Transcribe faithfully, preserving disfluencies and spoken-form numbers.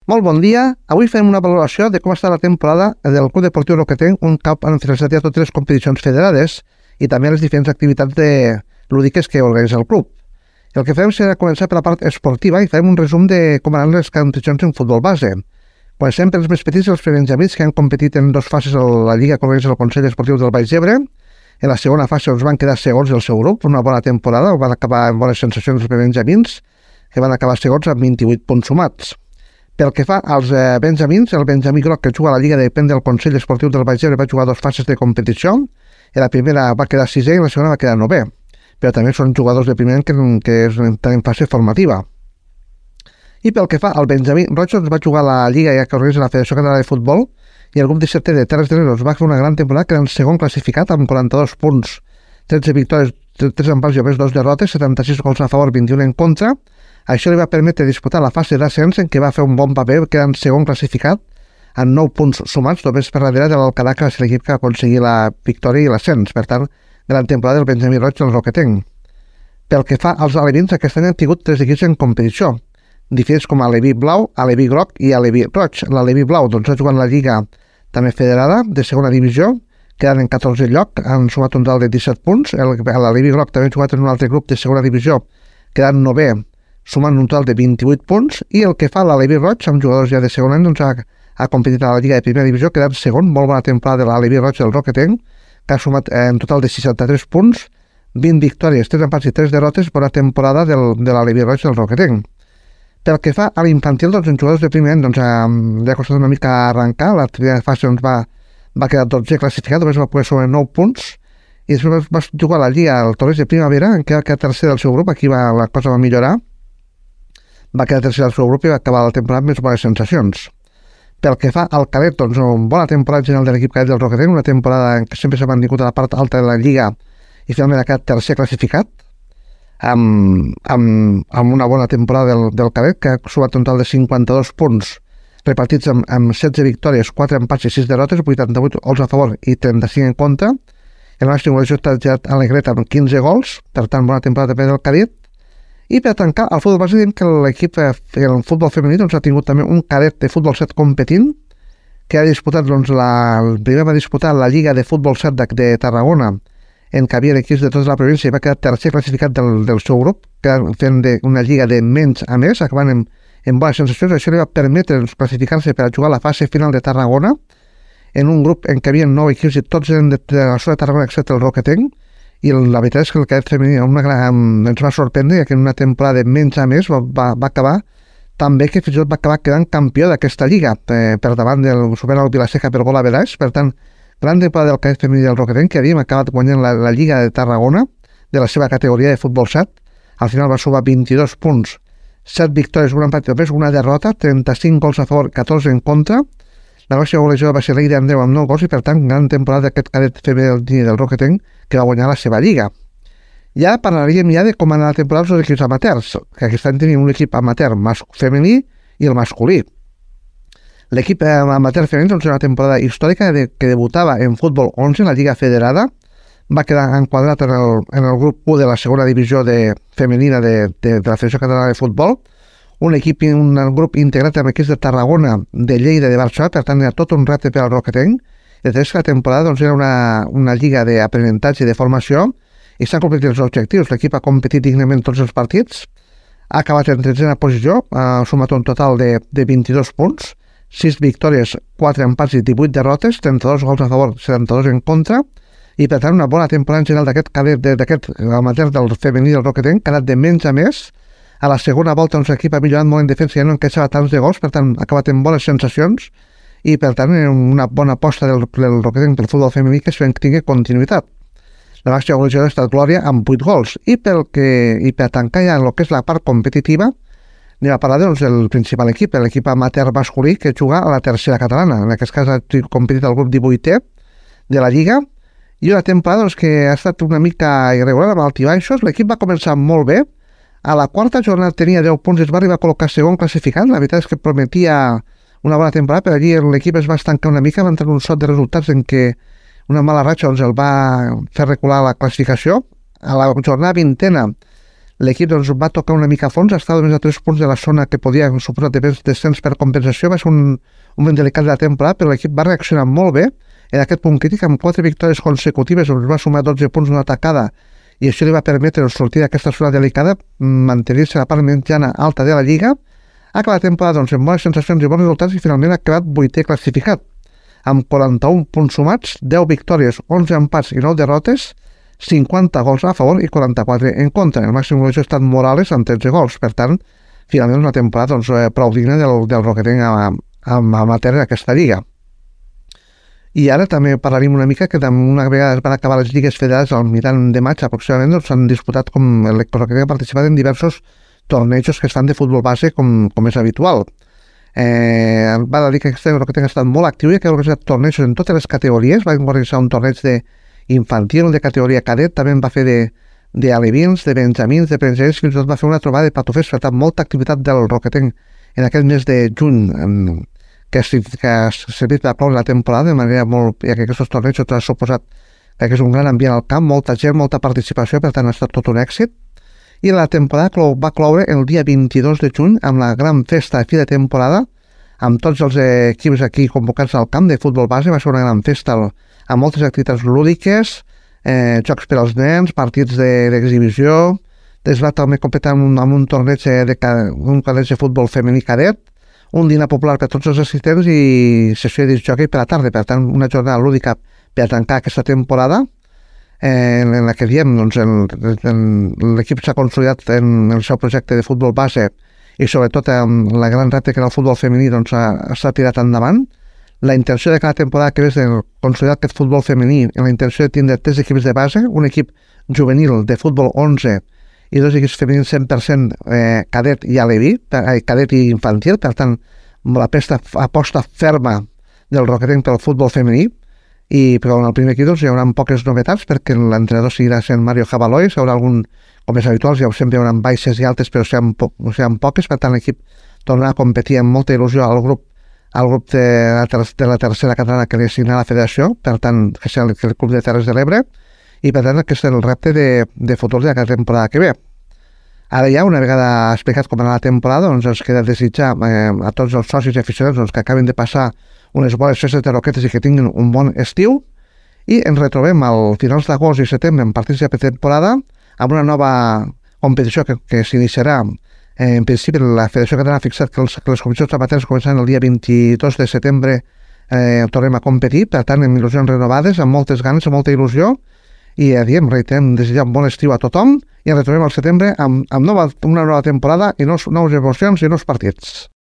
Molt bon dia. Avui fem una valoració de com està la temporada del Club Deportiu Roquetenc, un cop han finalitzat ja totes les competicions federades i també les diferents activitats de lúdiques que organitza el club. El que fem serà començar per la part esportiva i farem un resum de com anaven les competicions en futbol base. Comencem pels més petits, els prebenjamins, que han competit en dues fases a la Lliga que organitza el Consell Esportiu del Baix Ebre. En la segona fase els van quedar segons del seu grup, una bona temporada, van acabar amb bones sensacions els prebenjamins, que van acabar segons amb vint-i-vuit punts sumats. Pel que fa als eh, benjamins, el benjamí groc que juga a la Lliga depèn del Consell Esportiu del Baix Ebre va jugar dues fases de competició. En la primera va quedar sisè i en la segona va quedar novè. Però també són jugadors de primer que, que estan en fase formativa. I pel que fa al benjamí roig, doncs va jugar a la Lliga ja que organitza la Federació Catalana de Futbol i el grup dissetè de Terres de l'Ebre va fer una gran temporada quedant segon classificat amb quaranta-dos punts, tretze victòries, tres empats i només dos derrotes, setanta-sis gols a favor, vint-i-un en contra. Això li va permetre disputar la fase d'ascens en què va fer un bon paper quedant segon classificat amb nou punts sumats, només per darrere de l'Alcalà, que va ser l'equip que va aconseguir la victòria i l'ascens. Per tant, gran temporada del benjamí roig del Roquetenc. Pel que fa als alevins, aquest any han tingut tres equips en competició, diferents com Aleví Blau, Aleví Groc i Aleví Roig. L'Aleví Blau doncs, ha jugat en la Lliga també federada de segona divisió, quedant en catorzè lloc, han sumat un total de disset punts. L'Aleví Groc també ha jugat en un altre grup de segona divisió, quedant novè, sumant un total de vint-i-vuit punts, i el que fa l'Aleví Roig, amb jugadors ja de segon any, doncs ha, ha competit a la Lliga de primera divisió, quedant segon, molt bona temporada de l'Aleví Roig del Roquetenc, que ha sumat eh, en total de seixanta-tres punts, vint victòries, tres empats i tres derrotes, bona temporada del, de l'Aleví Roig del Roquetenc. Pel que fa a l'infantil, doncs, en jugadors de primer any, doncs, eh, li ha costat una mica arrencar, la primera fase doncs, va, va quedar dotzè classificat, només va poder sobre nou punts, i després va jugar a la Lliga al Torres de Primavera, en què va quedar tercer del seu grup, aquí va, la cosa va millorar, va quedar tercer del seu grup i va acabar la temporada amb més bones sensacions. Pel que fa al cadet, doncs, una bona temporada general de l'equip cadet del Roquetenc, una temporada en què sempre s'ha mantingut a la part alta de la Lliga i finalment ha quedat tercer classificat, amb, amb, amb una bona temporada del, del cadet, que ha sumat un total de cinquanta-dos punts, repartits amb, amb setze victòries, quatre empats i sis derrotes, vuitanta-vuit gols a favor i trenta-cinc en contra. El nostre goleador està ja Alegret amb quinze gols, per tant, bona temporada també del cadet. I per tancar, al futbol base, diem que l'equip, el futbol femení, doncs, ha tingut també un cadet de futbol set competint, que ha disputat, doncs, la, el primer va disputar la Lliga de Futbol set de, de Tarragona, en què havia equips de tota la província i va quedar tercer classificat del, del seu grup, fent de, una lliga de menys a més, acabant en, en bones sensacions. Això li va permetre doncs, classificar-se per a jugar a la fase final de Tarragona, en un grup en què havia nou equips i tots eren de, de la zona de Tarragona excepte el Roquetenc, i la veritat és que el cadet femení una gran, ens va sorprendre, ja que en una temporada de menys a més va, va, va acabar tan bé que fins i tot va acabar quedant campió d'aquesta lliga, eh, per davant del superant el Vilaseca per gol a veraix. Per tant, gran temporada del cadet femení del Roquetenc, que havíem acabat guanyant la, la Lliga de Tarragona de la seva categoria de futbol set. Al final va sumar vint-i-dos punts, set victòries, un empat i només una derrota, trenta-cinc gols a favor, catorze en contra. La nostra goleadora va ser l'Eida Andreu amb nou gols i, per tant, gran temporada d'aquest cadet femení del Roquetenc, que va guanyar la seva lliga. Ja parlaríem ja de com anar la temporada dels equips amateurs, que aquest any tenim un equip amateur femení i el masculí. L'equip amateur femení doncs, una temporada històrica de, que debutava en futbol onze, en la Lliga Federada, va quedar enquadrat en el, en el grup u de la segona divisió de, femenina de, de, de la Federació Catalana de Futbol, un equip, un grup integrat amb equips de Tarragona, de Lleida i de Barcelona, per tant era tot un repte per al Roquetenc. I després que la temporada doncs, era una, una lliga d'aprenentatge i de formació i s'han completat els objectius. L'equip ha competit dignament tots els partits, ha acabat en tretzena posició, ha sumat un total de, de vint-i-dos punts, sis victòries, quatre empats i divuit derrotes, trenta-dos gols a favor, setanta-dos en contra, i per tant una bona temporada en general d'aquest cadet, d'aquest amateur del femení del Roquetenc, que ha anat de menys a més. A la segona volta doncs, l'equip ha millorat molt en defensa, ja no encaixava tants de gols, per tant ha acabat amb bones sensacions i per tant una bona aposta del, del Roquetenc pel futbol femení que esperem que tingui continuïtat. La màxima goleadora ha estat Glòria amb vuit gols i, pel que, i per tancar ja el que és la part competitiva anem a parlar doncs, del principal equip, l'equip amateur masculí que juga a la tercera catalana. En aquest cas ha competit el grup divuitè de la Lliga i una temporada doncs, que ha estat una mica irregular amb altibaixos. L'equip va començar molt bé. A la quarta jornada tenia deu punts i es va arribar a col·locar segon classificat. La veritat és que prometia una bona temporada, però allí l'equip es va estancar una mica, va entrar un sot de resultats en què una mala ratxa doncs, el va fer recular la classificació. A la jornada vintena l'equip doncs, va tocar una mica a fons, estava només a tres punts de la zona que podia suposar de descens per compensació, va ser un, un moment delicat de la temporada, però l'equip va reaccionar molt bé en aquest punt crític, amb quatre victòries consecutives, on es va sumar dotze punts d'una atacada, i això li va permetre sortir d'aquesta zona delicada, mantenir-se a la part mitjana alta de la Lliga, ha acabat la temporada doncs, amb bones sensacions i bons resultats i finalment ha acabat vuitè classificat, amb quaranta-un punts sumats, deu victòries, onze empats i nou derrotes, cinquanta gols a favor i quaranta-quatre en contra. El màxim golejador ha estat Morales amb tretze gols. Per tant, finalment una temporada doncs, prou digna del, del Roquetenc amb amateur d'aquesta lliga. I ara també parlarem una mica que una vegada es van acabar les lligues federades al mitjan de maig aproximadament, doncs s'han disputat com el Roquetenc ha participat en diversos tornejos que es fan de futbol base com, com és habitual. Eh, va dir que aquest Roquetenc ha estat molt actiu i que ha organitzat tornejos en totes les categories. Va organitzar un torneig de infantil, de categoria cadet, també en va fer de, de alevins, de benjamins, de prensers, fins i tot va fer una trobada de patufers. Per tant, molta activitat del Roquetenc en aquest mes de juny, que, que ha servit per cloure la temporada de manera molt... ja que aquests tornejos han suposat que és un gran ambient al camp, molta gent, molta participació, per tant ha estat tot un èxit. I la temporada va cloure el dia vint-i-dos de juny amb la gran festa de fi de temporada, amb tots els equips aquí convocats al camp de futbol base. Va ser una gran festa amb moltes activitats lúdiques, eh, jocs per als nens, partits d'exhibició. Es va també completar amb, amb un torneig de, un torneig de futbol femení cadet, un dinar popular per tots els assistents i sessió de disc jockey per la tarda. Per tant, una jornada lúdica per tancar aquesta temporada, eh, en la que diem doncs, l'equip s'ha consolidat en el seu projecte de futbol base i sobretot amb la gran repte que era el futbol femení doncs, s'ha tirat endavant. La intenció de cada temporada que és de consolidar aquest futbol femení, en la intenció de tindre tres equips de base, un equip juvenil de futbol onze i dos equips femenins cent per cent eh, cadet i aleví, eh, cadet i infantil. Per tant, la pesta aposta ferma del Roquetenc pel futbol femení. I però en el primer equip doncs, hi haurà poques novetats perquè l'entrenador seguirà sent Mario Jabaloy. Hi haurà algun, com és habitual, ja sempre hi haurà baixes i altes, però seran, po seran poques. Per tant, l'equip tornarà a competir amb molta il·lusió al grup al grup de la, ter de la tercera catalana que li assigna la federació, per tant, que serà el, el Club de Terres de l'Ebre, i per tant, aquest és el repte de, de futur de la temporada que ve. Ara ja, una vegada explicat com era la temporada, doncs ens queda desitjar eh, a tots els socis i aficionats doncs, que acaben de passar unes bones festes de roquetes i que tinguin un bon estiu, i ens retrobem al finals d'agost i setembre en partits de pretemporada amb una nova competició que, que s'iniciarà. Eh, en principi la Federació Catalana ha fixat que, els, que les competicions amateurs començaran el dia vint-i-dos de setembre, eh, tornem a competir, per tant amb il·lusions renovades, amb moltes ganes, amb molta il·lusió, i ja diem, reiterem, desitjar un bon estiu a tothom i ens retrobem al setembre amb, amb nova, una nova temporada i nous, nous emocions i nous partits.